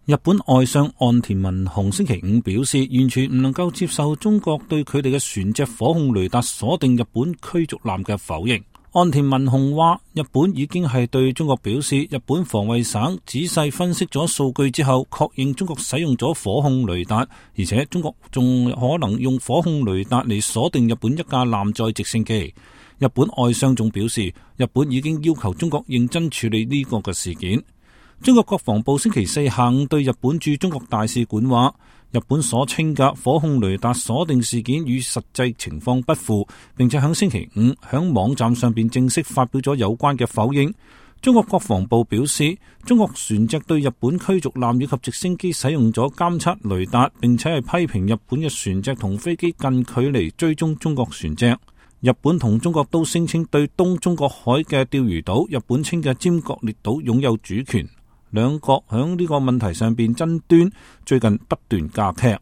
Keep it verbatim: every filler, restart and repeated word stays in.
日本外相岸田文雄星期五表示，完全唔能夠接受中國對佢哋嘅船隻火控雷達鎖定日本驅逐艦嘅否認。岸田文雄話，日本已經係對中國表示，日本防衛省仔細分析咗數據之後，確認中國使用咗火控雷達，而且中國仲可能用火控雷達嚟鎖定日本一架艦載直升機。日本外相仲表示，日本已經要求中國認真處理呢個嘅事件。中國國防部星期四下午對日本駐中國大使館話，日本所稱嘅火控雷達鎖定事件與實際情況不符，並且喺星期五喺網站上邊正式發表咗有關嘅否認。中國國防部表示，中國船隻對日本驅逐艦以及直升機使用咗監測雷達，並且係批評日本嘅船隻同飛機近距離追蹤中國船隻。日本同中國都聲稱對東中國海嘅釣魚島，日本稱嘅尖閣列島擁有主權。兩國喺呢個問題上邊爭端最近不斷加劇。